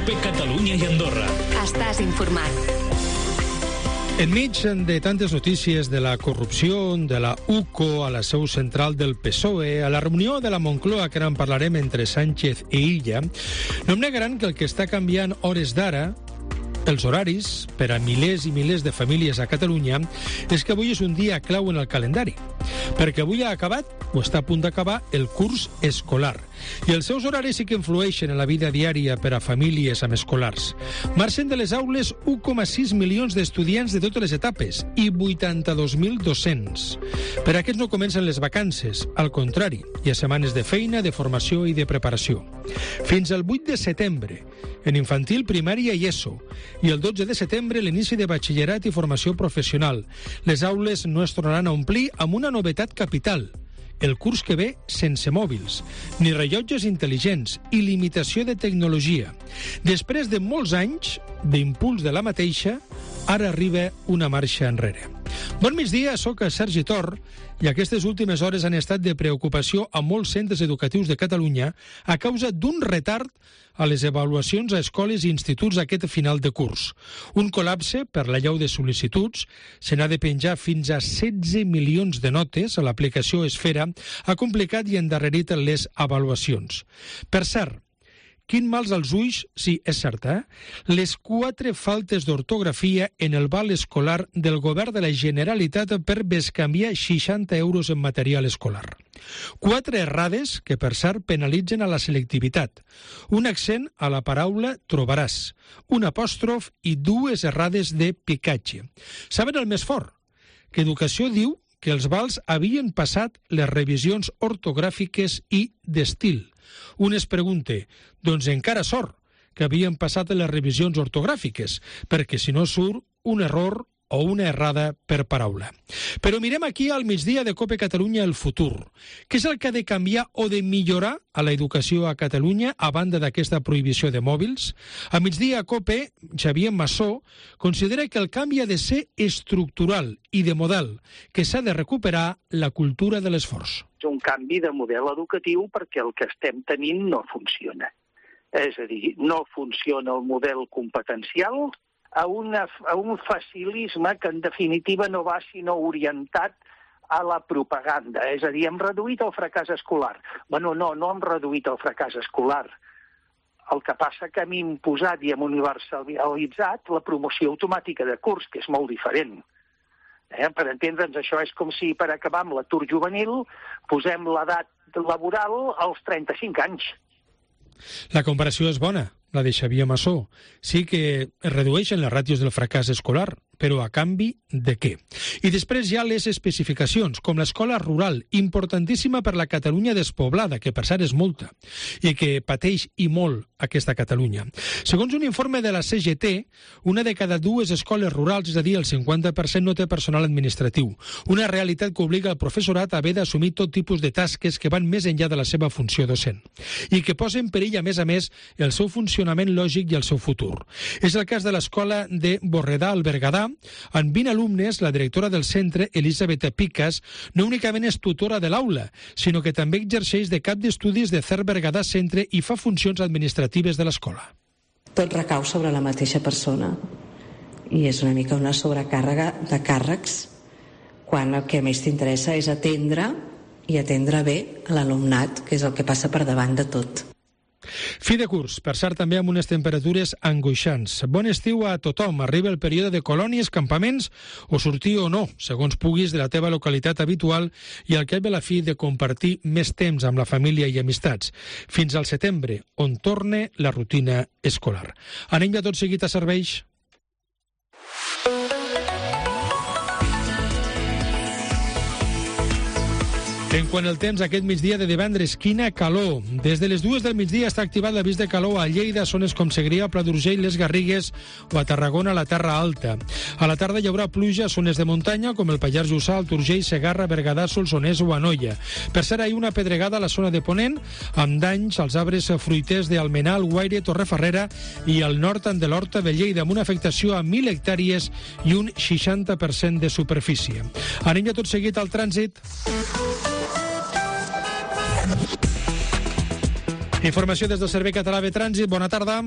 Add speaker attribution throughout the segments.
Speaker 1: COPE Catalunya i Andorra.
Speaker 2: Estàs informat.
Speaker 3: Enmig de tantes notícies de la corrupció de la UCO a la seu central del PSOE, a la reunió de la Moncloa, que ara en parlarem entre Sánchez i Illa, no em negaran que el que està canviant hores d'ara, els horaris, per a milers i milers de famílies a Catalunya, és que avui és un dia clau en el calendari. Perquè avui ha acabat, o està a punt d'acabar, el curs escolar. I els seus horaris sí que influeixen en la vida diària per a famílies amb escolars. Marxen de les aules 1,6 milions d'estudiants de totes les etapes i 82.000 docents. Per a aquests no comencen les vacances, al contrari, hi ha setmanes de feina, de formació i de preparació. Fins al 8 de setembre, en infantil, primària i ESO, i el 12 de setembre l'inici de batxillerat i formació professional. Les aules no es tornaran a omplir amb una novetat capital: el curs que ve sense mòbils, ni rellotges intel·ligents i limitació de tecnologia. Després de molts anys d'impuls de la mateixa, ara arriba una marxa enrere. Bon migdia, soc Sergi Tor i aquestes últimes hores han estat de preocupació a molts centres educatius de Catalunya a causa d'un retard a les avaluacions a escoles i instituts aquest final de curs. Un col·lapse per l'allau de sol·licituds, se n'ha de penjar fins a 16 milions de notes a l'aplicació Esfera, ha complicat i endarrerit les avaluacions. Per cert, quin mals als ulls, sí, és cert, les 4 faltes d'ortografia en el val escolar del govern de la Generalitat per bescanviar 60 euros en material escolar. 4 errades que, per cert, penalitzen a la selectivitat. Un accent a la paraula trobaràs, un apòstrof i 2 errades de picatge. Saben el més fort? Que Educació diu que els vals havien passat les revisions ortogràfiques i d'estil. Un es pregunta, doncs encara sort que havien passat les revisions ortogràfiques, perquè si no surt un error o una errada per paraula. Però mirem aquí al migdia de COPE Catalunya el futur. Què és el que ha de canviar o de millorar a l'educació a Catalunya a banda d'aquesta prohibició de mòbils? A migdia a COPE, Xavier Massó considera que el canvi ha de ser estructural i de model, que s'ha de recuperar la cultura de l'esforç.
Speaker 4: És un canvi de model educatiu perquè el que estem tenint no funciona. És a dir, no funciona el model competencial, a un facilisme que en definitiva no va sinó orientat a la propaganda. És a dir, hem reduït el fracàs escolar. Bueno, no hem reduït el fracàs escolar. El que passa que hem imposat i hem universalitzat la promoció automàtica de curs, que és molt diferent. Per entendre'ns, això és com si per acabar amb l'atur juvenil posem l'edat laboral als 35 anys.
Speaker 3: La comparació és bona, la de Xavier Massó. Sí que es redueixen les ràtios del fracàs escolar, però a canvi de què? I després hi ha les especificacions, com l'escola rural, importantíssima per la Catalunya despoblada, que per cert és molta, i que pateix i molt aquesta Catalunya. Segons un informe de la CGT, una de cada 2 escoles rurals, és a dir, el 50%, no té personal administratiu. Una realitat que obliga el professorat a haver d'assumir tot tipus de tasques que van més enllà de la seva funció docent i que posen en perill, a més, el seu funcionament lògic i el seu futur. És el cas de l'escola de Borredà al Berguedà. En 20 alumnes, la directora del centre, Elisabet Picas, no únicament és tutora de l'aula, sinó que també exerceix de cap d'estudis de CERT Berguedà Centre i fa funcions administratives de l'escola.
Speaker 5: Tot recau sobre la mateixa persona i és una mica una sobrecàrrega de càrrecs quan el que més t'interessa és atendre bé a l'alumnat, que és el que passa per davant de tot.
Speaker 3: Fi de curs, per cert, també amb unes temperatures angoixants. Bon estiu a tothom. Arriba el període de colònies, campaments, o sortir o no, segons puguis, de la teva localitat habitual i al cap de la fi de compartir més temps amb la família i amistats. Fins al setembre, on torne la rutina escolar. Anem ja tot seguit a serveis. En quant al temps, aquest migdia de divendres, quina calor. Des de les 2 del migdia està activat l'avís de calor a Lleida, zones com Segrià, Pla d'Urgell, Les Garrigues o a Tarragona, a la Terra Alta. A la tarda hi haurà pluja a zones de muntanya, com el Pallars Jussà, el Urgell, Segarra, Berguedà, Solsonès o Anoia. Per cert, hi ha una pedregada a la zona de Ponent, amb danys als arbres fruiters d'Almenar, Guaire, Torrefarrera i al nord de l'Horta de Lleida, amb una afectació a 1.000 hectàrees i un 60% de superfície. Anem ja tot seguit al trànsit. Informació des del Servei Català de Trànsit. Bona tarda.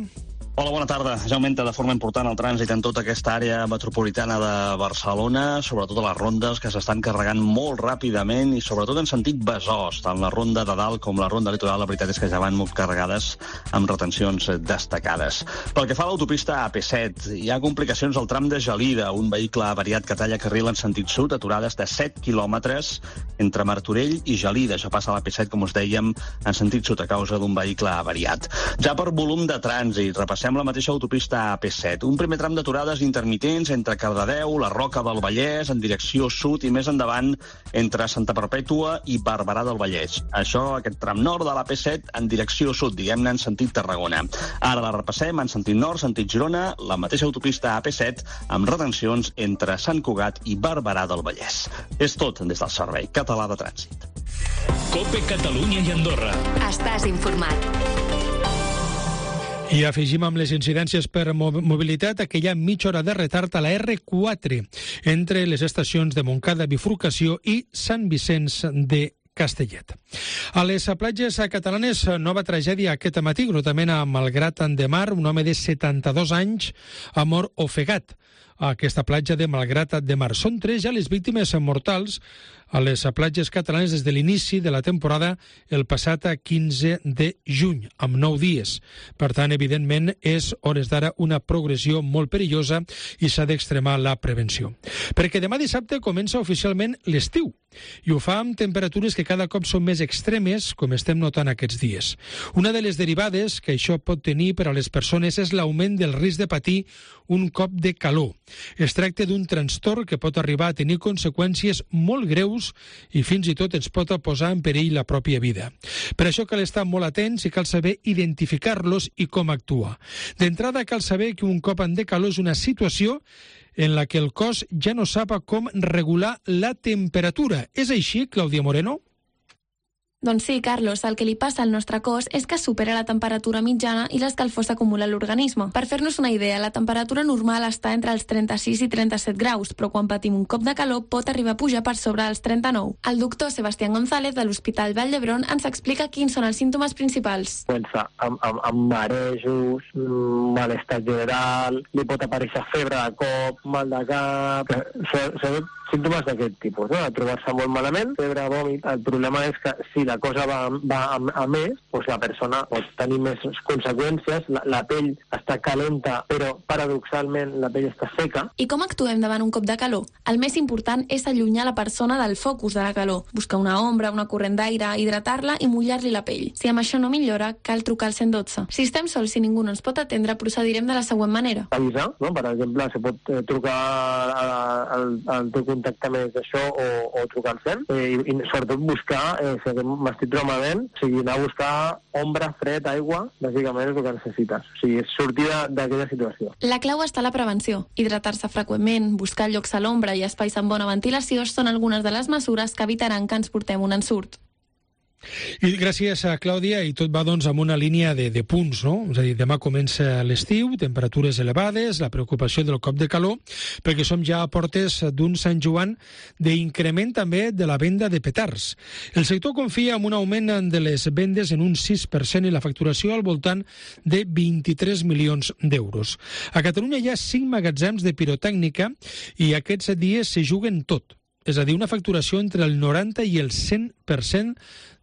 Speaker 1: Hola, bona tarda. Ja augmenta de forma important el trànsit en tota aquesta àrea metropolitana de Barcelona, sobretot a les rondes que s'estan carregant molt ràpidament i sobretot en sentit Besòs, tant la ronda de dalt com la ronda litoral, la veritat és que ja van molt carregades amb retencions destacades. Pel que fa a l'autopista AP7, hi ha complicacions al tram de Gelida, un vehicle avariat que talla carril en sentit sud, aturades de 7 quilòmetres entre Martorell i Gelida. Això passa a l'AP7, com us dèiem, en sentit sud a causa d'un vehicle avariat. Ja per volum de trànsit, repassem la mateixa autopista AP7. Un primer tram d'aturades intermitents entre Cardedeu, la Roca del Vallès, en direcció sud i més endavant entre Santa Perpètua i Barberà del Vallès. Això, aquest tram nord de l'AP7 en direcció sud, diguem-ne en sentit Tarragona. Ara la repassem en sentit nord, sentit Girona, la mateixa autopista AP7 amb retencions entre Sant Cugat i Barberà del Vallès. És tot des del Servei Català de Trànsit.
Speaker 2: COPE Catalunya i Andorra.
Speaker 6: Estàs informat.
Speaker 3: I afegim amb les incidències per mobilitat que hi ha mitja hora de retard a la R4 entre les estacions de Montcada, Bifurcació i Sant Vicenç de Castellet. A les platges catalanes, nova tragèdia aquest matí, grotament a Malgrat de Mar, un home de 72 anys ha mort ofegat a aquesta platja de Malgrat de Mar. Són 3 ja les víctimes mortals a les platges catalanes des de l'inici de la temporada el passat 15 de juny, amb 9 dies. Per tant, evidentment, és hores d'ara una progressió molt perillosa i s'ha d'extremar la prevenció. Perquè demà dissabte comença oficialment l'estiu i ho fa amb temperatures que cada cop són més extremes, com estem notant aquests dies. Una de les derivades que això pot tenir per a les persones és l'augment del risc de patir un cop de calor. Es tracta d'un trastorn que pot arribar a tenir conseqüències molt greus i fins i tot ens pot posar en perill la pròpia vida. Per això cal estar molt atents i cal saber identificar-los i com actuar. D'entrada cal saber que un cop de calor és una situació en la que el cos ja no sap com regular la temperatura. És així, Clàudia Moreno?
Speaker 7: Doncs sí, Carlos, el que li passa al nostre cos és que supera la temperatura mitjana i l'escalfor s'acumula a l'organisme. Per fer-nos una idea, la temperatura normal està entre els 36 i 37 graus, però quan patim un cop de calor pot arribar a pujar per sobre els 39. El doctor Sebastián González de l'Hospital Vall d'Hebron ens explica quins són els símptomes principals.
Speaker 8: Comença amb marejos, malestar general, li pot aparèixer febre de cop, mal de cap, són símptomes d'aquest tipus, no? Trobar-se molt malament, febre, vòmit. El problema és que si la cosa va a més, doncs la persona pot tenir més conseqüències, la pell està calenta, però paradoxalment la pell està seca.
Speaker 7: I com actuem davant un cop de calor? El més important és allunyar la persona del focus de la calor, buscar una ombra, una corrent d'aire, hidratar-la i mullar-li la pell. Si amb això no millora, cal trucar al 112. Si estem sols i ningú no ens pot atendre, procedirem de la següent manera.
Speaker 8: Avisar, no? Per exemple, se pot trucar al teu contacte més d'això o trucar al 100 i sobretot buscar, si m'estic malament, o sigui, anar a buscar ombra, fred, aigua, bàsicament és el que necessites. O sigui, és sortir d'aquella situació.
Speaker 7: La clau està a la prevenció. Hidratar-se freqüentment, buscar llocs a l'ombra i espais amb bona ventilació són algunes de les mesures que evitaran que ens portem un ensurt.
Speaker 3: I gràcies a Clàudia, i tot va doncs amb una línia de punts, no? És a dir, demà comença l'estiu, temperatures elevades, la preocupació del cop de calor, perquè som ja a portes d'un Sant Joan d'increment també de la venda de petards. El sector confia en un augment de les vendes en un 6% i la facturació al voltant de 23 milions d'euros. A Catalunya hi ha 5 magatzems de pirotècnica i aquests dies se juguen tot. És a dir, una facturació entre el 90 i el 100%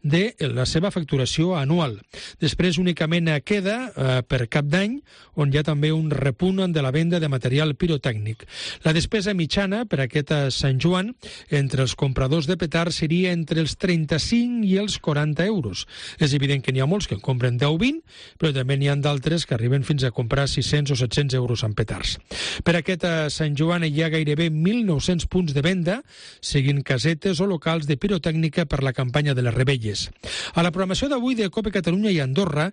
Speaker 3: de la seva facturació anual. Després únicament queda per Cap d'Any, on hi ha també un repunt de la venda de material pirotècnic. La despesa mitjana per aquest Sant Joan entre els compradors de petards seria entre els 35 i els 40 euros. És evident que n'hi ha molts que en compren 10 o 20, però també n'hi ha d'altres que arriben fins a comprar 600 o 700 euros en petards. Per aquest Sant Joan hi ha gairebé 1.900 punts de venda, seguint casetes o locals de pirotècnica per la campanya de les Rebelles. A la programació d'avui de COPE Catalunya i Andorra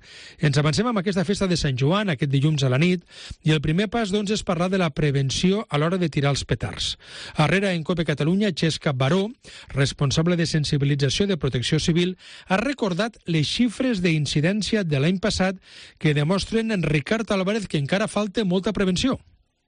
Speaker 3: ens avancem amb aquesta festa de Sant Joan, aquest dilluns a la nit, i el primer pas doncs, és parlar de la prevenció a l'hora de tirar els petards. Arrere en COPE Catalunya, Xesca Baró, responsable de sensibilització de Protecció Civil, ha recordat les xifres d'incidència de l'any passat que demostren en Ricard Álvarez que encara falta molta prevenció.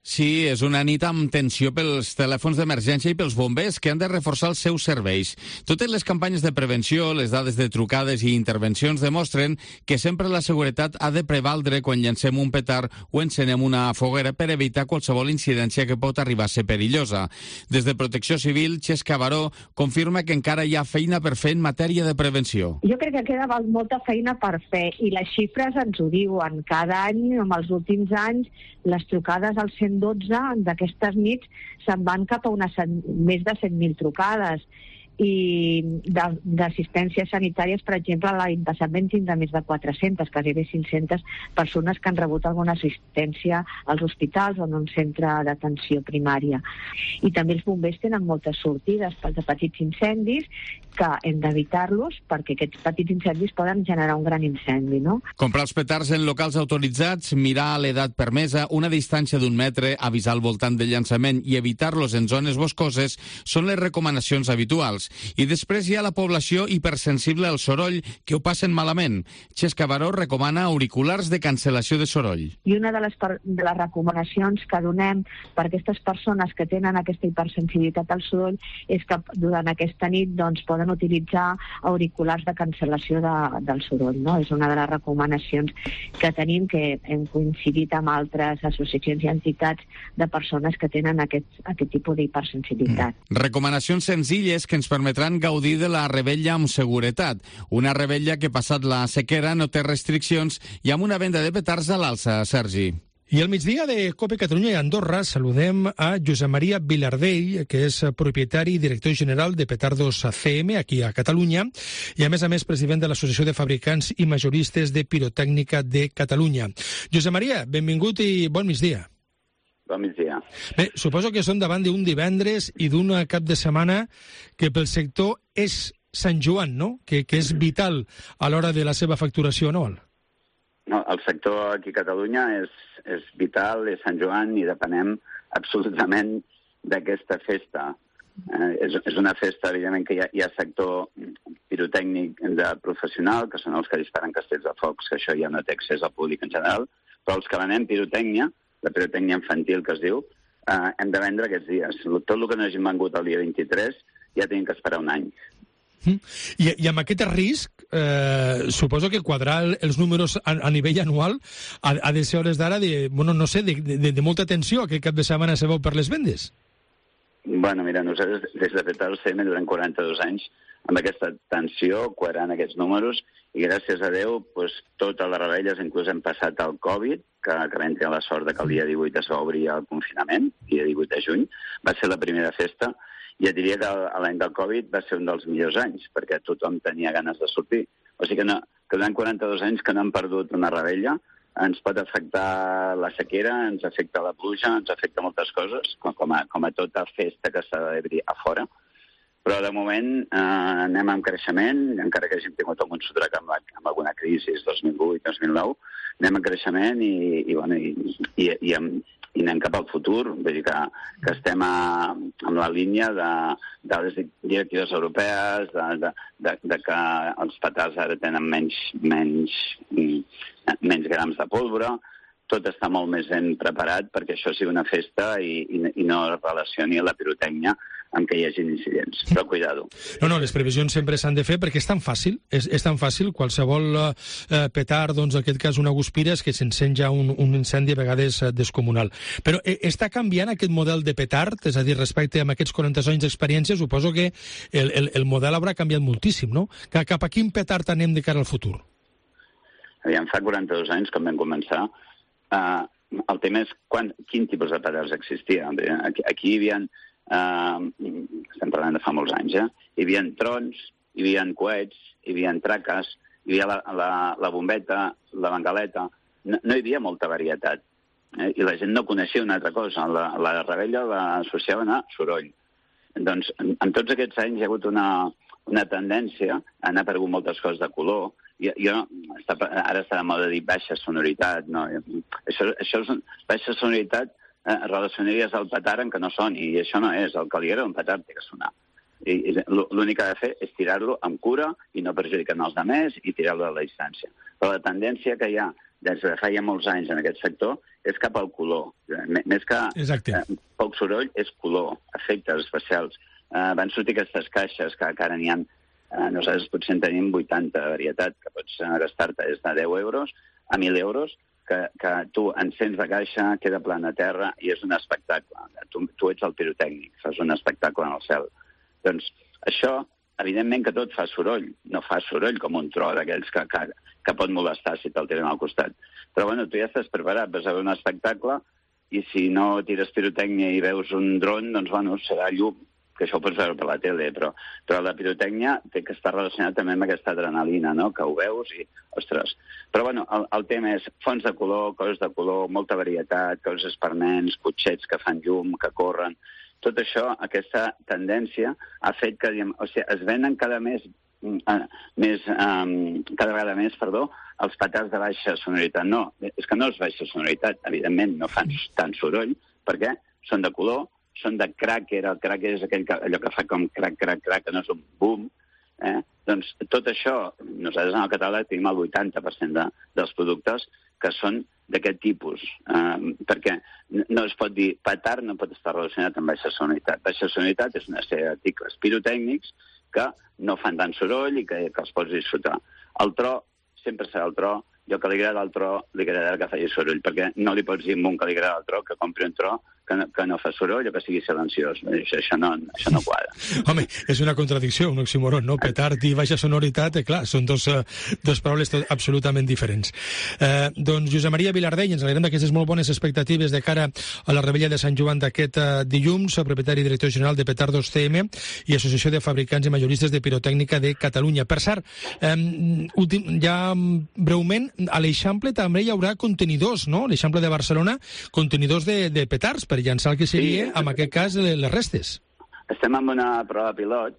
Speaker 6: Sí, és una nit amb tensió pels telèfons d'emergència i pels bombers que han de reforçar els seus serveis. Totes les campanyes de prevenció, les dades de trucades i intervencions demostren que sempre la seguretat ha de prevaldre quan llancem un petard o encenem una foguera per evitar qualsevol incidència que pot arribar a ser perillosa. Des de Protecció Civil, Xesca Baró confirma que encara hi ha feina per fer en matèria de prevenció.
Speaker 9: Jo crec que queda molta feina per fer i les xifres ens ho diuen. Cada any, en els últims anys, les trucades al 112 d'aquestes nits se'n van cap a més de 100.000 trucades i d'assistències sanitàries, per exemple, l'any passat vam tindre més de 400, gairebé 500 persones que han rebut alguna assistència als hospitals o en un centre d'atenció primària. I també els bombers tenen moltes sortides de petits incendis que hem d'evitar-los perquè aquests petits incendis poden generar un gran incendi, no?
Speaker 6: Comprar els petards en locals autoritzats, mirar l'edat permesa, una distància d'1 metre, avisar al voltant del llançament i evitar-los en zones boscoses són les recomanacions habituals. I després hi ha la població hipersensible al soroll que ho passen malament. Xesca Baró recomana auriculars de cancel·lació de soroll.
Speaker 9: I una de les recomanacions que donem per aquestes persones que tenen aquesta hipersensibilitat al soroll és que durant aquesta nit poden utilitzar auriculars de cancel·lació del soroll. No? És una de les recomanacions que tenim, que hem coincidit amb altres associacions i entitats de persones que tenen aquest tipus d'hipersensibilitat.
Speaker 6: Recomanacions senzilles que ens permetran gaudir de la rebella amb seguretat. Una rebella que, passat la sequera, no té restriccions i amb una venda de petards a l'alça, Sergi.
Speaker 3: I al migdia de COPE Catalunya i Andorra saludem a Josep Maria Vilardell, que és propietari i director general de Petardos CM, aquí a Catalunya, i a més president de l'Associació de Fabricants i Majoristes de Pirotècnica de Catalunya. Josep Maria, benvingut i bon migdia.
Speaker 10: Bon migdia.
Speaker 3: Bé, suposo que són davant d'un divendres i d'un cap de setmana que pel sector és Sant Joan, no? Que és vital a l'hora de la seva facturació anual.
Speaker 10: No, el sector aquí a Catalunya és vital, és Sant Joan i depenem absolutament d'aquesta festa. És una festa, evidentment, que hi ha sector pirotècnic de professional, que són els que disparen castells de focs, que això ja no té accés al públic en general, però els que venem pirotècnia, la pirotècnia infantil que es diu, hem de vendre aquests dies. Tot el que no hagin vengut el dia 23 ja tenim que esperar un any.
Speaker 3: I amb aquest risc, suposo que quadrar els números a nivell anual ha de ser hores d'ara de molta tensió aquest cap de setmana se veu per les vendes.
Speaker 10: Bueno, mira, nosaltres des de Petardos CM durant 42 anys amb aquesta tensió, quadrant aquests números, i gràcies a Déu, totes les rebelles, inclús hem passat el Covid, que vam tenir la sort que el dia 18 es va obrir el confinament, dia 18 de juny, va ser la primera festa, i et diria que l'any del Covid va ser un dels millors anys, perquè tothom tenia ganes de sortir. O sigui que durant 42 anys que no hem perdut una rebella, ens pot afectar la sequera, ens afecta la pluja, ens afecta moltes coses, com a tota festa que s'ha d'obrir a fora. Però de moment anem amb creixement, encara que hàgim tingut algun sotrac amb alguna crisi 2008-2009, anem amb creixement i anem cap al futur. Vull dir que estem en la línia de les directives europees, de que els petards ara tenen menys grams de pólvora. Tot està molt més ben preparat perquè això sigui una festa i no relacioni la pirotècnia amb que hi hagi incidents. Però cuidado.
Speaker 3: No, les previsions sempre s'han de fer perquè és tan fàcil, és tan fàcil, qualsevol petard, en aquest cas una guspira, és que s'encén ja un incendi a vegades descomunal. Però està canviant aquest model de petard? És a dir, respecte a aquests 40 anys d'experiència, suposo que el model haurà canviat moltíssim, no? Cap a quin petard anem de cara al futur?
Speaker 10: Aviam, fa 42 anys, quan vam començar, el tema és quin tipus de petards existia. Aquí hi havia, estem parlant de fa molts anys, hi havia trons, hi havia coets, hi havia traques, hi havia la bombeta, la bengaleta. No hi havia molta varietat. I la gent no coneixia una altra cosa. La rebella l'associaven a soroll. Doncs en tots aquests anys hi ha hagut una tendència a anar aparegut moltes coses de color. Ara està de moda dir baixa sonoritat. No? Això és baixa sonoritat relacionaries al petard en què no soni, i això no és. El que li agrada un petard té que sonar. L'únic que ha de fer és tirar-lo amb cura i no perjudicant els altres i tirar-lo a la distància. Però la tendència que hi ha des de fa ja molts anys en aquest sector, és cap al color. Més que poc soroll, és color, efectes especials. Van sortir aquestes caixes que ara n'hi ha, nosaltres potser en tenim 80 de varietat, que pots gastar-te des de 10 euros a 1.000 euros, que tu encens de caixa, queda plana a terra i és un espectacle. Tu ets el pirotècnic, fas un espectacle en el cel. Doncs això, evidentment que tot fa soroll, no fa soroll com un tro d'aquells que pot molestar si te'l tiren al costat. Però bueno, tu ja estàs preparat, vas a veure un espectacle i si no tires pirotècnia i veus un dron, doncs bueno, serà llum, que això ho pots veure per la tele, però la pirotècnia té que estar relacionada també amb aquesta adrenalina, no?, que ho veus i, ostres. Però bueno, el tema és fons de color, coses de color, molta varietat, coses per nens, cotxets que fan llum, que corren. Tot això, aquesta tendència, ha fet que es venen cada vegada més, els petards de baixa sonoritat. No, és que no és baixa sonoritat, evidentment, no fan tant soroll, perquè són de color, són de cracker, el cracker és allò que fa com crac, que no és un boom. Doncs tot això, nosaltres en el catàleg tenim el 80% dels productes que són d'aquest tipus, perquè no es pot dir petard, no pot estar relacionat amb baixa sonoritat. Baixa sonoritat és una sèrie d'articles pirotècnics que no fan tant soroll i que els pots disfrutar. El tro sempre serà el tro, i el que li agrada al tro li agradarà que faci soroll, perquè no li pots dir a un que li agrada al tro que compri un tro que no fa soroll o que sigui silenciós. Això no quadra.
Speaker 3: Home, és una contradicció, un oxímoron, no? Petard i baixa sonoritat, clar, són dos paraules absolutament diferents. Doncs Josep Maria Vilardell, ens alegrem d'aquestes molt bones expectatives de cara a la Revetlla de Sant Joan d'aquest dilluns, propietari i director general de Petardos CM i Associació de Fabricants i Majoristes de Pirotècnica de Catalunya. Per cert, ja breument, a l'Eixample també hi haurà contenidors, no? L'Eixample de Barcelona, contenidors de petards, per llançar el que seria, en aquest cas, les restes.
Speaker 10: Estem en una prova pilot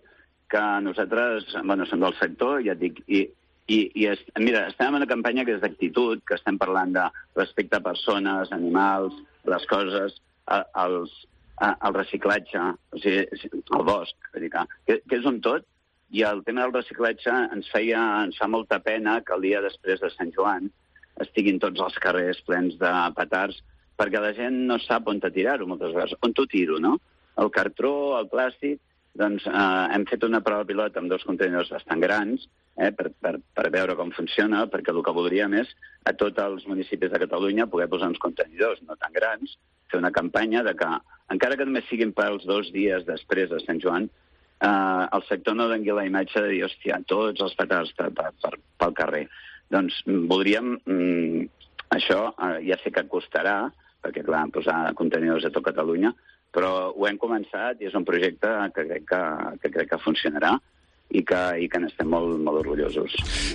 Speaker 10: que nosaltres, som del sector, ja et dic, mira, estem en una campanya que és d'actitud, que estem parlant de respecte a persones, animals, les coses, el reciclatge, o sigui, el bosc, que és un tot, i el tema del reciclatge ens fa molta pena que el dia després de Sant Joan estiguin tots els carrers plens de petards, perquè la gent no sap on tirar-ho moltes vegades. On t'ho tiro, no? El cartró, el plàstic, doncs hem fet una prova pilot amb 2 contenidors bastant grans per veure com funciona, perquè el que voldríem és a tots els municipis de Catalunya poder posar uns contenidors no tan grans, fer una campanya de que, encara que només siguin pels 2 dies després de Sant Joan, el sector no doni la imatge de dir, hòstia, tots els petards pel carrer. Doncs voldríem, això ja sé que costarà, perquè, clar, posar contenidors a tot Catalunya, però ho hem començat i és un projecte que crec que funcionarà i que n'estem molt, molt orgullosos.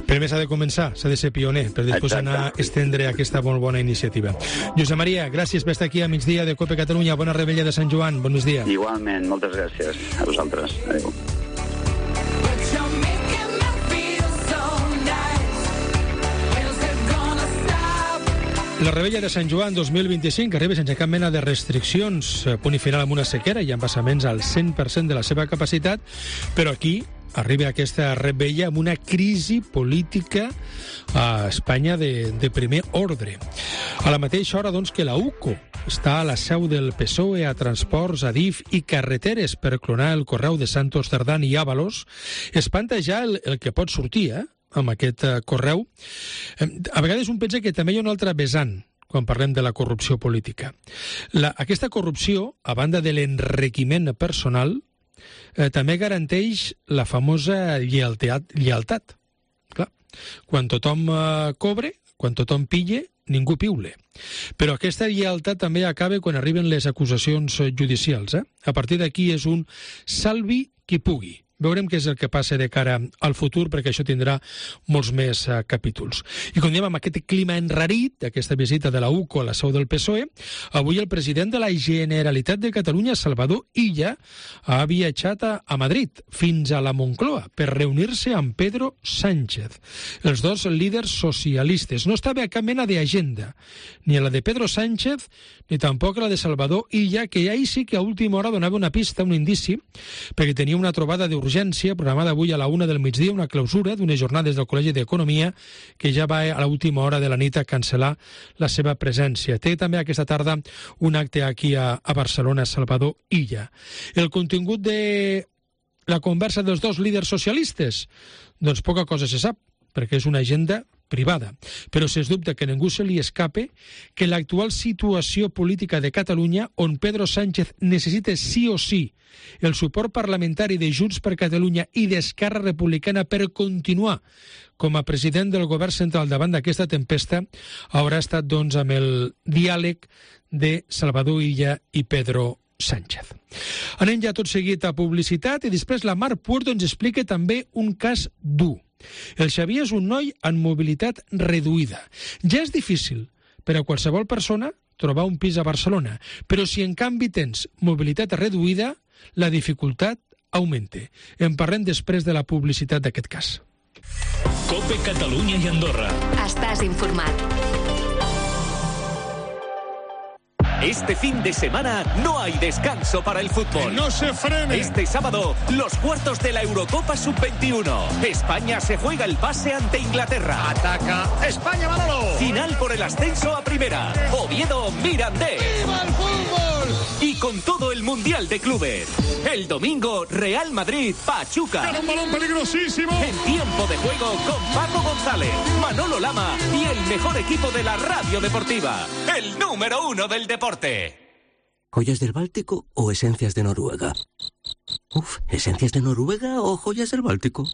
Speaker 3: Primer s'ha de començar, s'ha de ser pioner, per després anar a estendre aquesta molt bona iniciativa. Josep Maria, gràcies per estar aquí a migdia de COPE Catalunya. Bona Revetlla de Sant Joan, bon migdia.
Speaker 10: Igualment, moltes gràcies a vosaltres. Adéu.
Speaker 3: La Revetlla de Sant Joan 2025 arriba sense cap mena de restriccions, punt i final amb una sequera i embassaments al 100% de la seva capacitat, però aquí arriba aquesta Revetlla amb una crisi política a Espanya de primer ordre. A la mateixa hora, doncs, que la UCO està a la seu del PSOE a Transports, Adif i Carreteres per clonar el correu de Santos Cerdán i Ábalos, espanta ja el que pot sortir, amb aquest correu. A vegades un pensa que també hi ha un altre vessant quan parlem de la corrupció política. Aquesta corrupció, a banda de l'enriquiment personal, també garanteix la famosa lleialtat. Clar, quan tothom cobre, quan tothom pille, ningú piule. Però aquesta lleialtat també acaba quan arriben les acusacions judicials. A partir d'aquí és un salvi qui pugui. Veurem què és el que passa de cara al futur, perquè això tindrà molts més capítols. I com diem, amb aquest clima enrarit, d'aquesta visita de la UCO a la seu del PSOE, avui el president de la Generalitat de Catalunya, Salvador Illa, ha viatjat a Madrid, fins a la Moncloa, per reunir-se amb Pedro Sánchez. Els dos líders socialistes. No estava a cap mena d'agenda, ni a la de Pedro Sánchez, ni tampoc a la de Salvador Illa, que ahir sí que a última hora donava una pista, un indici, perquè tenia una trobada d'urgència d'urgència, programada avui a la 1 del migdia, una clausura d'unes jornades del Col·legi d'Economia que ja va a l'última hora de la nit a cancel·lar la seva presència. Té també aquesta tarda un acte aquí a Barcelona, Salvador Illa. El contingut de la conversa dels dos líders socialistes? Doncs poca cosa se sap, perquè és una agenda privada. Però sens dubte que ningú se li escape que l'actual situació política de Catalunya, on Pedro Sánchez necessita sí o sí el suport parlamentari de Junts per Catalunya i d'Esquerra Republicana per continuar com a president del govern central davant d'aquesta tempesta, haurà estat doncs amb el diàleg de Salvador Illa i Pedro Sánchez. Anem ja tot seguit a publicitat i després la Mar Puerto ens explica també un cas dur. El Xavier és un noi amb mobilitat reduïda. Ja és difícil per a qualsevol persona trobar un pis a Barcelona, però si en canvi tens mobilitat reduïda, la dificultat augmenta. En parlem després de la publicitat d'aquest cas.
Speaker 2: COPE Catalunya i Andorra.
Speaker 11: Estàs informat.
Speaker 12: Este fin de semana no hay descanso para el fútbol.
Speaker 13: ¡Que no se frene!
Speaker 12: Este sábado, los cuartos de la Eurocopa Sub-21. España se juega el pase ante Inglaterra.
Speaker 13: ¡Ataca España, Manolo!
Speaker 12: Final por el ascenso a primera. Oviedo Mirandés.
Speaker 13: ¡Viva el fútbol!
Speaker 12: Y con todo el Mundial de Clubes. El domingo, Real Madrid, Pachuca.
Speaker 13: ¡Era un balón peligrosísimo!
Speaker 12: En tiempo de juego con Paco González, Manolo Lama y el mejor equipo de la radio deportiva. El número 1 del deporte.
Speaker 14: ¿Joyas del Báltico o esencias de Noruega? ¿Esencias de Noruega o joyas del Báltico?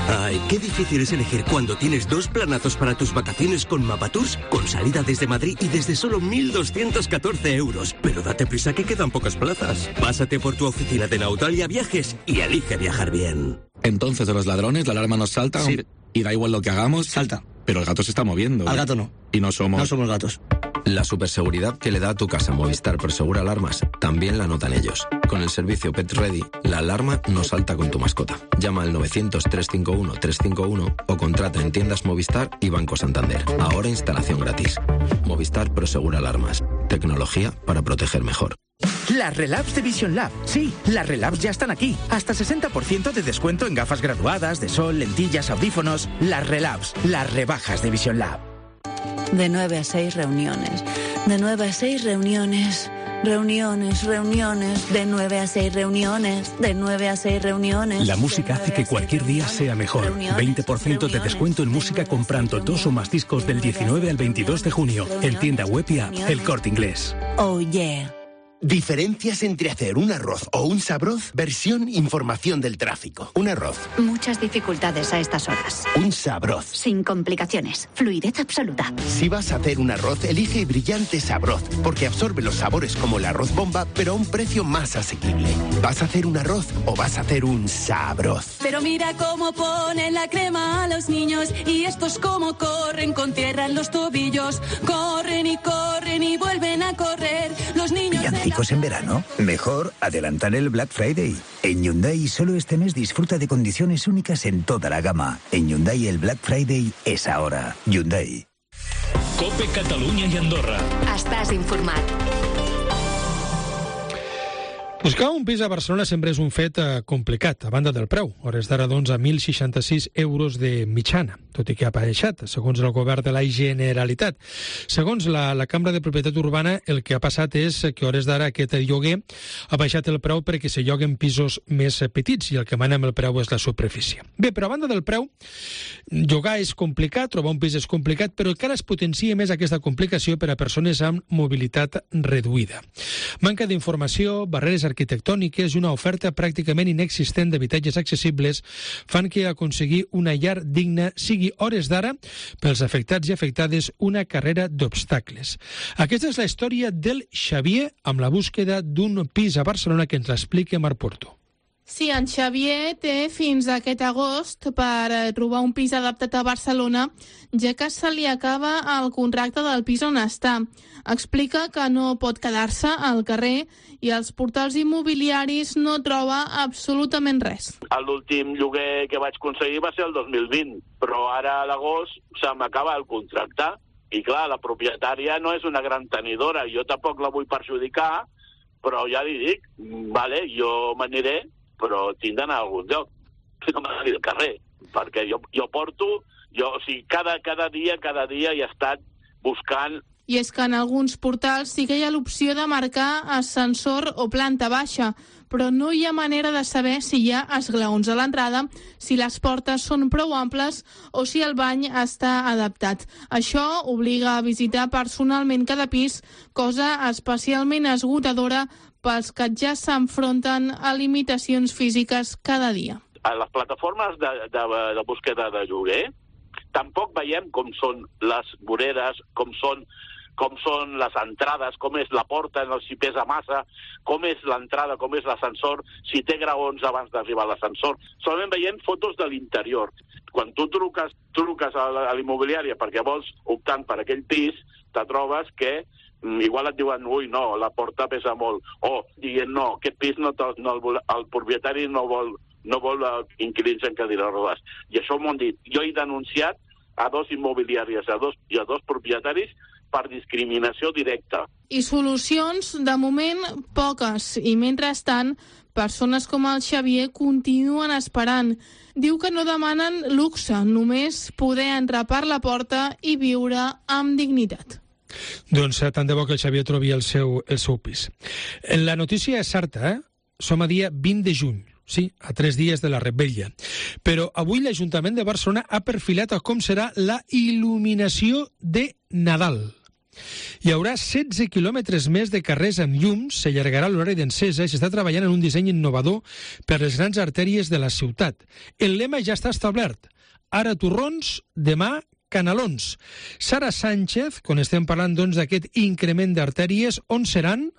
Speaker 14: Ay, qué difícil es elegir cuando tienes dos planazos para tus vacaciones con Mapatours, con salida desde Madrid y desde solo 1.214 euros. Pero date prisa que quedan pocas plazas. Pásate por tu oficina de Nautalia Viajes y elige viajar bien.
Speaker 15: Entonces, de los ladrones, la alarma nos salta,
Speaker 14: sí.
Speaker 15: Y da igual lo que hagamos.
Speaker 14: Salta.
Speaker 15: Pero el gato se está moviendo.
Speaker 14: Al gato no.
Speaker 15: Y no somos
Speaker 14: gatos.
Speaker 16: La superseguridad que le da a tu casa Movistar Prosegura Alarmas también la notan ellos. Con el servicio Pet Ready, la alarma no salta con tu mascota. Llama al 900-351-351 o contrata en tiendas Movistar y Banco Santander. Ahora instalación gratis. Movistar Prosegura Alarmas. Tecnología para proteger mejor.
Speaker 17: Las Relabs de Vision Lab. Sí, las Relabs ya están aquí. Hasta 60% de descuento en gafas graduadas, de sol, lentillas, audífonos. Las Relabs, las rebajas de Vision Lab.
Speaker 18: De 9 a 6 reuniones. De 9 a 6 reuniones. Reuniones, reuniones. De 9 a 6 reuniones. De 9 a 6 reuniones.
Speaker 19: La música hace que cualquier día sea mejor. 20% de descuento en música comprando 2 o más discos del 19 al 22 de junio. En tienda web y app El Corte Inglés.
Speaker 18: Oh yeah.
Speaker 20: Diferencias entre hacer un arroz o un sabroz. Versión información del tráfico. Un arroz.
Speaker 11: Muchas dificultades a estas horas.
Speaker 20: Un sabroz.
Speaker 11: Sin complicaciones. Fluidez absoluta.
Speaker 20: Si vas a hacer un arroz, elige Brillante Sabroz, porque absorbe los sabores como el arroz bomba, pero a un precio más asequible. ¿Vas a hacer un arroz o vas a hacer un sabroz?
Speaker 21: Pero mira cómo ponen la crema a los niños y estos cómo corren con tierra en los tobillos. Corren y vuelven a correr. Los niños...
Speaker 22: En verano, mejor adelantar el Black Friday. En Hyundai solo este mes disfruta de condiciones únicas en toda la gama. En Hyundai el Black Friday es ahora. Hyundai.
Speaker 2: COPE Catalunya i Andorra.
Speaker 11: Estàs informat.
Speaker 3: Buscar un pis a Barcelona sempre és un fet complicat, a banda del preu. Hores d'ara, doncs, a 1.066 euros de mitjana, tot i que ha baixat, segons el govern de la Generalitat. Segons la Cambra de Propietat Urbana, el que ha passat és que hores d'ara aquest lloguer ha baixat el preu perquè se lloguen pisos més petits i el que mana amb el preu és la superfície. Bé, però a banda del preu, llogar és complicat, trobar un pis és complicat, però encara es potencia més aquesta complicació per a persones amb mobilitat reduïda. Manca d'informació, barreres arquitectòniques i una oferta pràcticament inexistent d'habitatges accessibles fan que aconseguir una llar digna sigui hores d'ara pels afectats i afectades una carrera d'obstacles. Aquesta és la història del Xavier amb la búsqueda d'un pis a Barcelona que ens l'explica Mar Puerto.
Speaker 23: Sí, en Xavier té fins aquest agost per trobar un pis adaptat a Barcelona, ja que se li acaba el contracte del pis on està. Explica que no pot quedar-se al carrer i als portals immobiliaris no troba absolutament res.
Speaker 24: L'últim lloguer que vaig aconseguir va ser el 2020, però ara a l'agost se m'acaba el contracte. I clar, la propietària no és una gran tenidora, jo tampoc la vull perjudicar, però ja li dic, vale, jo m'aniré, però tinc d'anar a algun lloc, que no m'agradi el carrer, perquè jo porto, o sigui, cada dia he estat buscant.
Speaker 23: I és que en alguns portals sí que hi ha l'opció de marcar ascensor o planta baixa, però no hi ha manera de saber si hi ha esglaons a l'entrada, si les portes són prou amples o si el bany està adaptat. Això obliga a visitar personalment cada pis, cosa especialment esgotadora pels que ja s'enfronten a limitacions físiques cada dia.
Speaker 24: A les plataformes de búsqueda de lloguer tampoc veiem com són les voreres, com són les entrades, com és la porta, si pesa massa, com és l'entrada, com és l'ascensor, si té graons abans d'arribar a l'ascensor. Solament veiem fotos de l'interior. Quan tu truques a l'immobiliària perquè vols optant per aquell pis, te trobes que igual et diuen, ui, no, la porta pesa molt, o dient, no, aquest pis el propietari no vol inquilins en cadires rodes. I això m'ho han dit. Jo he denunciat a 2 immobiliàries i a 2 propietaris per discriminació directa.
Speaker 23: I solucions, de moment, poques. I mentrestant, persones com el Xavier continuen esperant. Diu que no demanen luxe, només poder entrar per la porta i viure amb dignitat.
Speaker 3: Doncs tant de bo que el Xavier trobi el seu pis. La notícia és certa, Som a dia 20 de juny. Sí, a 3 dies de la Revetlla. Però avui l'Ajuntament de Barcelona ha perfilat a com serà la il·luminació de Nadal. Hi haurà 16 quilòmetres més de carrers amb llums, s'allargarà l'horari d'encesa i s'està treballant en un disseny innovador per les grans artèries de la ciutat. El lema ja està establert. Ara torrons, demà canalons. Sara Sánchez, quan estem parlant d'aquest increment d'artèries, on seran?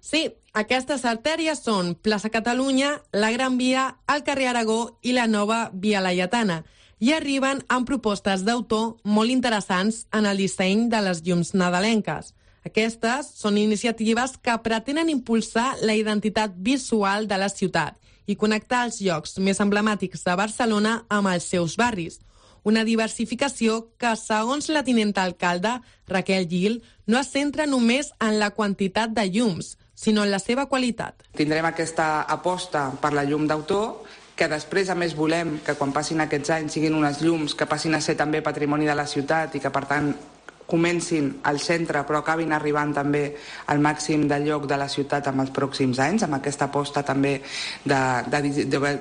Speaker 1: Sí, aquestes artèries són Plaça Catalunya, la Gran Via, el carrer Aragó i la nova Via Laietana, i arriben amb propostes d'autor molt interessants en el disseny de les llums nadalenques. Aquestes són iniciatives que pretenen impulsar la identitat visual de la ciutat i connectar els llocs més emblemàtics de Barcelona amb els seus barris. Una diversificació que, segons la tinenta alcalde, Raquel Gil, no es centra només en la quantitat de llums, sinó en la seva qualitat.
Speaker 4: Tindrem aquesta aposta per la llum d'autor, que després, a més, volem que quan passin aquests anys siguin unes llums que passin a ser també patrimoni de la ciutat i que, per tant, comencin al centre però acabin arribant també al màxim de lloc de la ciutat en els pròxims anys, amb aquesta aposta també de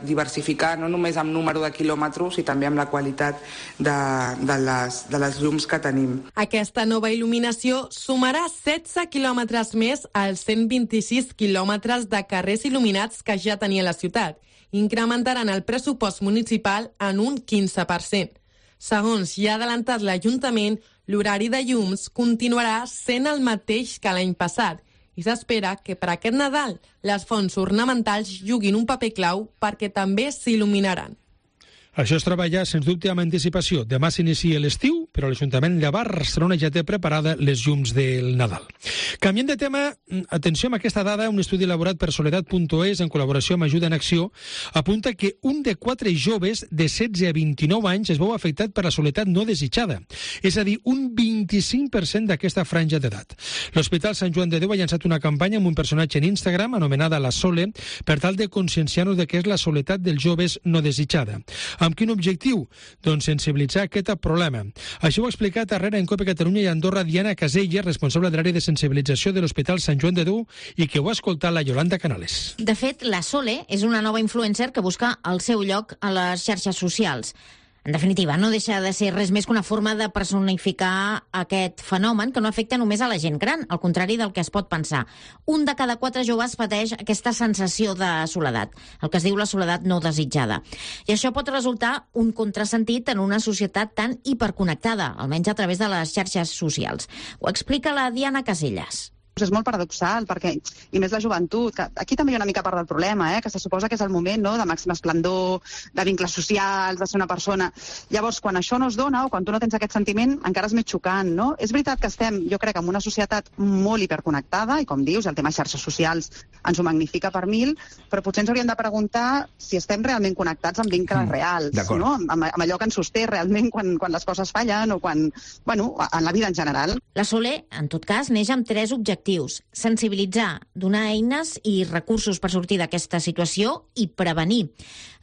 Speaker 4: diversificar no només amb número de quilòmetres i també amb la qualitat de les llums que tenim.
Speaker 1: Aquesta nova il·luminació sumarà 16 quilòmetres més als 126 quilòmetres de carrers il·luminats que ja tenia la ciutat. Incrementaran el pressupost municipal en un 15%. Segons ja ha adelantat l'Ajuntament, l'horari de llums continuarà sent el mateix que l'any passat i s'espera que per aquest Nadal les fonts ornamentals juguin un paper clau perquè també s'il·luminaran.
Speaker 3: Això es treballa, sens dubte, amb anticipació. Demà s'inicia l'estiu, però l'Ajuntament de Barcelona ja té preparada les llums del Nadal. Canviant de tema, atenció amb aquesta dada, un estudi elaborat per Soledat.es en col·laboració amb Ajuda en Acció apunta que un de 4 joves de 16 a 29 anys es veu afectat per la soledat no desitjada, és a dir, un 25% d'aquesta franja d'edat. L'Hospital Sant Joan de Déu ha llançat una campanya amb un personatge en Instagram anomenada La Sole per tal de conscienciar-nos de què és la soledat dels joves no desitjada. Amb quin objectiu? Doncs sensibilitzar aquest problema. Això ho ha explicat darrere en COPE Catalunya i Andorra Diana Casella, responsable de l'àrea de sensibilització de l'Hospital Sant Joan de Déu i que ho ha escoltat la Yolanda Canales.
Speaker 5: De fet, la Sole és una nova influencer que busca el seu lloc a les xarxes socials. En definitiva, no deixa de ser res més que una forma de personificar aquest fenomen que no afecta només a la gent gran, al contrari del que es pot pensar. Un de cada 4 joves pateix aquesta sensació de soledat, el que es diu la soledat no desitjada. I això pot resultar un contrasentit en una societat tan hiperconnectada, almenys a través de les xarxes socials. Ho explica la Diana Casellas.
Speaker 8: És molt paradoxal, perquè, i més la joventut, que aquí també hi ha una mica part del problema, que se suposa que és el moment de màxim esplendor, de vincles socials, de ser una persona. Llavors, quan això no es dona, o quan tu no tens aquest sentiment, encara és més xocant, no? És veritat que estem, jo crec, en una societat molt hiperconnectada, i com dius, el tema xarxes socials ens ho magnifica per 1000, però potser ens hauríem de preguntar si estem realment connectats amb vincles reals, no? Amb allò que ens sosté realment quan les coses fallen, o quan, bueno, en la vida en general.
Speaker 5: La Sole, en tot cas, neix amb 3 objectius objectius: sensibilitzar, donar eines i recursos per sortir d'aquesta situació i prevenir.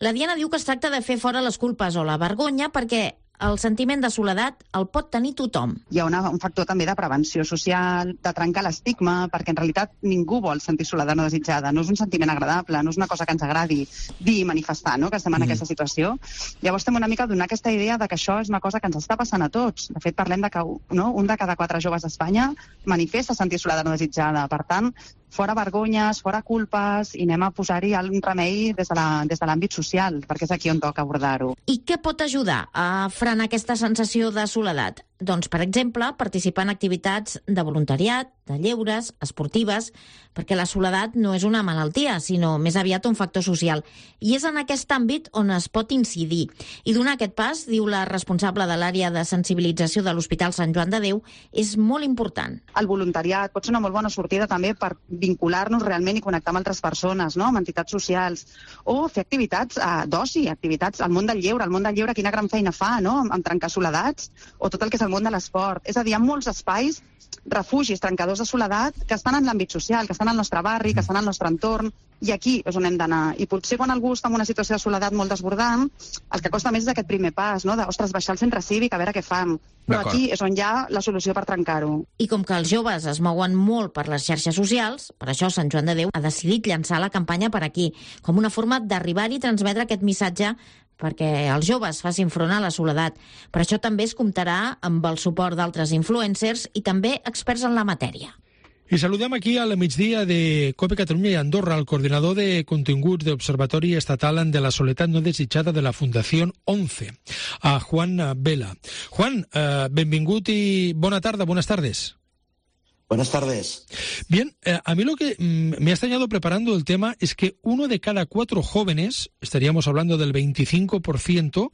Speaker 5: La Diana diu que es tracta de fer fora les culpes o la vergonya perquè el sentiment de soledat el pot tenir tothom.
Speaker 8: Hi ha un factor també de prevenció social, de trencar l'estigma, perquè en realitat ningú vol sentir soledat no desitjada. No és un sentiment agradable, no és una cosa que ens agradi dir i manifestar, no?, que estem en aquesta situació. Llavors estem una mica donant aquesta idea de que això és una cosa que ens està passant a tots. De fet, parlem de que un de cada 4 joves d'Espanya manifesta sentir soledat no desitjada. Per tant, fora vergonyes, fora culpes, i anem a posar-hi un remei des de l'àmbit social, perquè és aquí on toca abordar-ho.
Speaker 5: I què pot ajudar a frenar aquesta sensació de soledat? Doncs, per exemple, participar en activitats de voluntariat, de lleures, esportives, perquè la soledat no és una malaltia, sinó més aviat un factor social. I és en aquest àmbit on es pot incidir. I donar aquest pas, diu la responsable de l'àrea de sensibilització de l'Hospital Sant Joan de Déu, és molt important.
Speaker 8: El voluntariat pot ser una molt bona sortida també per vincular-nos realment i connectar amb altres persones, no?, amb entitats socials, o fer activitats d'oci, activitats al món del lleure. El món del lleure quina gran feina fa, no?, amb trencar soledats, o tot el que és el món de l'esport. És a dir, hi ha molts espais, refugis, trencadors de soledat, que estan en l'àmbit social, que estan al nostre barri, que estan al nostre entorn, i aquí és on hem d'anar. I potser quan algú està en una situació de soledat molt desbordant, el que costa més és aquest primer pas, no?, ostres, baixar al centre cívic a veure què fan. Però aquí és on hi ha la solució per trencar-ho.
Speaker 5: I com que els joves es mouen molt per les xarxes socials, per això Sant Joan de Déu ha decidit llançar la campanya per aquí, com una forma d'arribar-hi i transmetre aquest missatge perquè els joves facin front a la soledat. Per això també es comptarà amb el suport d'altres influencers i també experts en la matèria.
Speaker 3: I saludem aquí al migdia de COPE Catalunya i Andorra el coordinador de continguts de l'Observatori Estatal de la Soledat No Desitjada de la Fundació 11, a Juan Vela. Juan, benvingut i bona tarda, buenas tardes.
Speaker 6: Buenas tardes.
Speaker 3: Bien, a mí lo que me ha extrañado preparando el tema es que 1 de cada 4 jóvenes, estaríamos hablando del 25%,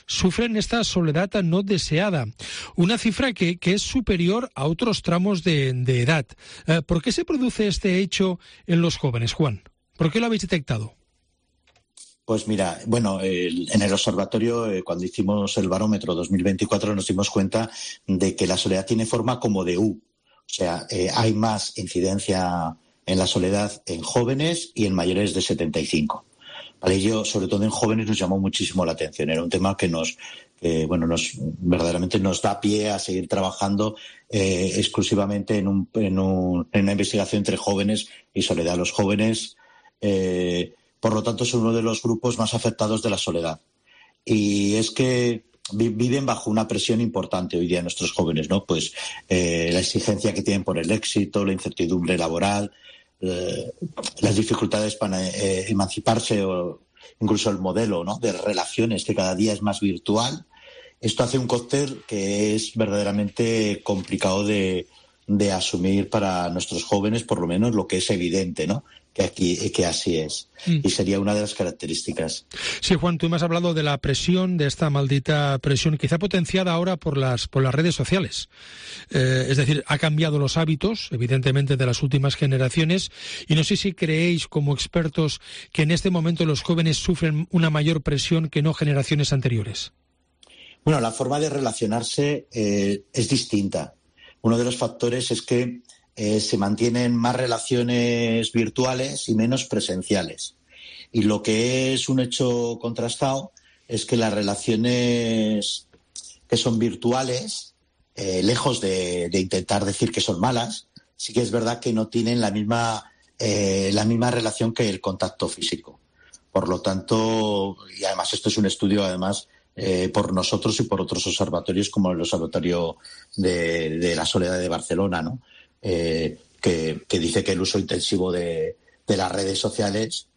Speaker 3: sufren esta soledad no deseada. Una cifra que es superior a otros tramos de edad. ¿Por qué se produce este hecho en los jóvenes, Juan? ¿Por qué lo habéis detectado?
Speaker 6: Pues mira, bueno, en el observatorio, cuando hicimos el barómetro 2024, nos dimos cuenta de que la soledad tiene forma como de U. O sea, hay más incidencia en la soledad en jóvenes y en mayores de 75. Para ello, sobre todo en jóvenes, nos llamó muchísimo la atención. Era un tema que verdaderamente nos da pie a seguir trabajando exclusivamente en una investigación entre jóvenes y soledad. Los jóvenes, por lo tanto, son uno de los grupos más afectados de la soledad. Y es que viven bajo una presión importante hoy día nuestros jóvenes, ¿no? Pues la exigencia que tienen por el éxito, la incertidumbre laboral, las dificultades para emanciparse o incluso el modelo, ¿no?, de relaciones que cada día es más virtual. Esto hace un cóctel que es verdaderamente complicado de asumir para nuestros jóvenes, por lo menos lo que es evidente, ¿no?, que así es. Y sería una de las características.
Speaker 3: Sí, Juan, tú me has hablado de la presión, de esta maldita presión, quizá potenciada ahora por las redes sociales. Es decir, ha cambiado los hábitos, evidentemente, de las últimas generaciones, y no sé si creéis, como expertos, que en este momento los jóvenes sufren una mayor presión que no generaciones anteriores.
Speaker 6: Bueno, la forma de relacionarse es distinta. Uno de los factores es que se mantienen más relaciones virtuales y menos presenciales. Y lo que es un hecho contrastado es que las relaciones que son virtuales, lejos de intentar decir que son malas, sí que es verdad que no tienen la misma relación que el contacto físico. Por lo tanto, y además esto es un estudio por nosotros y por otros observatorios como el Observatorio de la Soledad de Barcelona, ¿no?, que dice que el uso intensivo de las redes sociales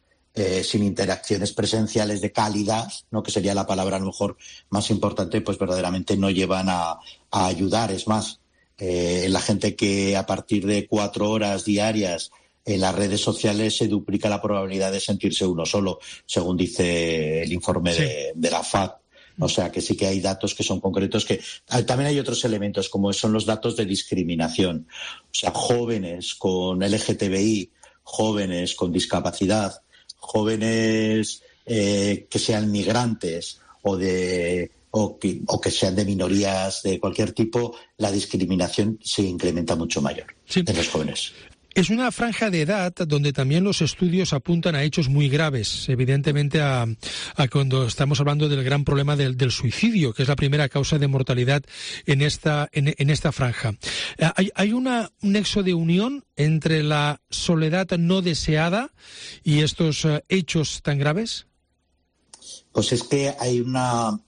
Speaker 6: sin interacciones presenciales de calidad, ¿no?, que sería la palabra a lo mejor más importante, pues verdaderamente no llevan a ayudar. Es más, la gente que a partir de 4 horas diarias en las redes sociales se duplica la probabilidad de sentirse uno solo, según dice el informe de la FAD. O sea, que sí que hay datos que son concretos. Que también hay otros elementos, como son los datos de discriminación. O sea, jóvenes con LGTBI, jóvenes con discapacidad, jóvenes que sean migrantes o de o que sean de minorías de cualquier tipo, la discriminación se incrementa mucho mayor en los jóvenes.
Speaker 3: Es una franja de edad donde también los estudios apuntan a hechos muy graves, evidentemente a cuando estamos hablando del gran problema del suicidio, que es la primera causa de mortalidad en esta franja. ¿Hay un nexo de unión entre la soledad no deseada y estos hechos tan graves?
Speaker 6: Pues es que hay la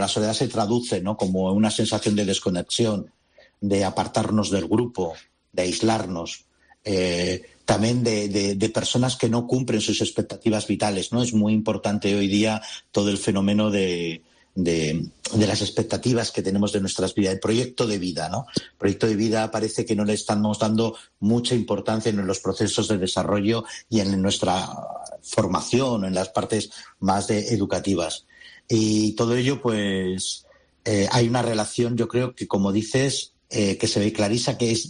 Speaker 6: soledad se traduce, ¿no?, como una sensación de desconexión, de apartarnos del grupo, de aislarnos. También de personas que no cumplen sus expectativas vitales, ¿no? Es muy importante hoy día todo el fenómeno de las expectativas que tenemos de nuestras vidas, el proyecto de vida, ¿no? El proyecto de vida parece que no le estamos dando mucha importancia en los procesos de desarrollo y en nuestra formación, en las partes más educativas. Y todo ello, pues, hay una relación, yo creo que, como dices, que se ve clarísima, que es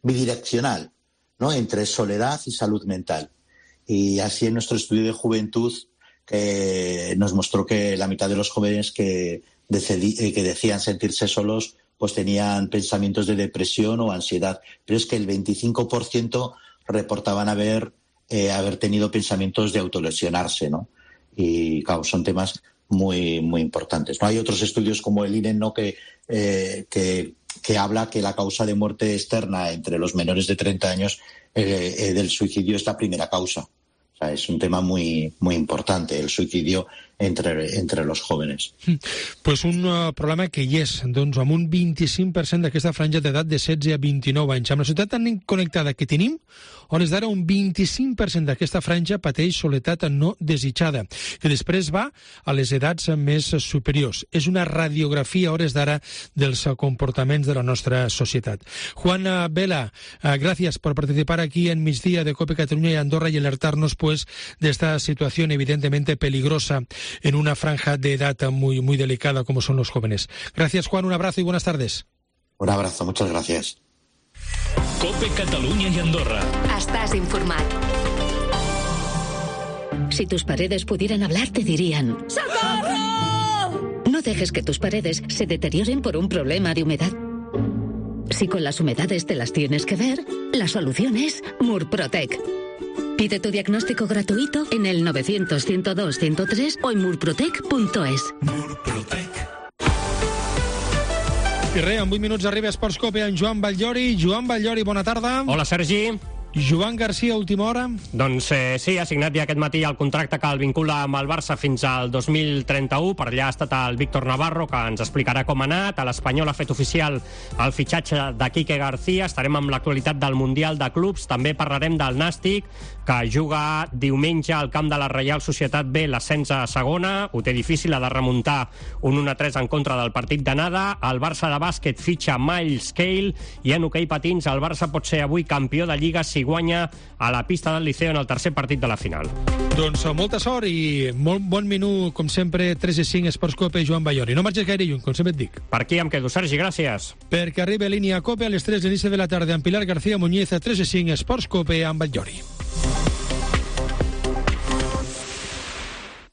Speaker 6: bidireccional, ¿no?, entre soledad y salud mental. Y así en nuestro estudio de juventud nos mostró que la mitad de los jóvenes que decían sentirse solos pues tenían pensamientos de depresión o ansiedad, pero es que el 25% reportaban haber tenido pensamientos de autolesionarse, ¿no? Y claro, son temas muy, muy importantes, ¿no? Hay otros estudios como el INEM, ¿no?, que habla que la causa de muerte externa entre los menores de 30 años del suicidio es la primera causa. O sea, es un tema muy, muy importante, el suicidio entre los jóvenes.
Speaker 3: Pues un problema que hi és, doncs, amb un 25% d'aquesta franja d'edat de 16 a 29 anys. Amb la societat tan connectada que tenim, a hores d'ara un 25% d'aquesta franja pateix soledat no desitjada, que després va a les edats més superiors. És una radiografia a hores d'ara dels comportaments de la nostra societat. Juan Vela, gracias por participar aquí en Migdia de COPE Catalunya y Andorra y alertarnos pues de esta situación evidentemente peligrosa en una franja de edad muy, muy delicada como son los jóvenes. Gracias, Juan, un abrazo y buenas tardes.
Speaker 6: Un abrazo, muchas gracias.
Speaker 2: COPE Catalunya y Andorra.
Speaker 11: Estás informat.
Speaker 7: Si tus paredes pudieran hablar, te dirían: ¡socorro! No dejes que tus paredes se deterioren por un problema de humedad. Si con las humedades te las tienes que ver, la solución es Murprotec. Pide tu diagnóstico gratuito en el 900-102-103 o en murprotec.es.
Speaker 3: I res, en 8 minuts arriba a Esports Cope en Joan Batllori. Joan Batllori, bona tarda.
Speaker 9: Hola, Sergi.
Speaker 3: Joan Garcia, última hora.
Speaker 9: Doncs sí, ha signat ja aquest matí el contracte que el vincula amb el Barça fins al 2031. Per allà ha estat el Víctor Navarro, que ens explicarà com ha anat. L'Espanyol ha fet oficial el fitxatge de Quique García. Estarem amb l'actualitat del Mundial de Clubs. També parlarem del Nàstic, que juga diumenge al camp de la Reial Societat B l'ascens a segona. Ho té difícil, ha de remuntar un 1-3 en contra del partit d'anada. El Barça de bàsquet fitxa Miles Cale i en hoquei patins el Barça pot ser avui campió de Lliga si guanya a la pista del Liceo en el tercer partit de la final.
Speaker 3: Doncs molta sort i molt bon menú, com sempre, 3-5 Esports Cope, Joan Batllori. No marxes gaire lluny, com sempre et dic.
Speaker 9: Per aquí em quedo, Sergi, gràcies.
Speaker 3: Perquè arriba a línia Cope a les 3 de l'inici de la tarda amb Pilar García Muñiz a 3-5 Esports Cope amb Batllori.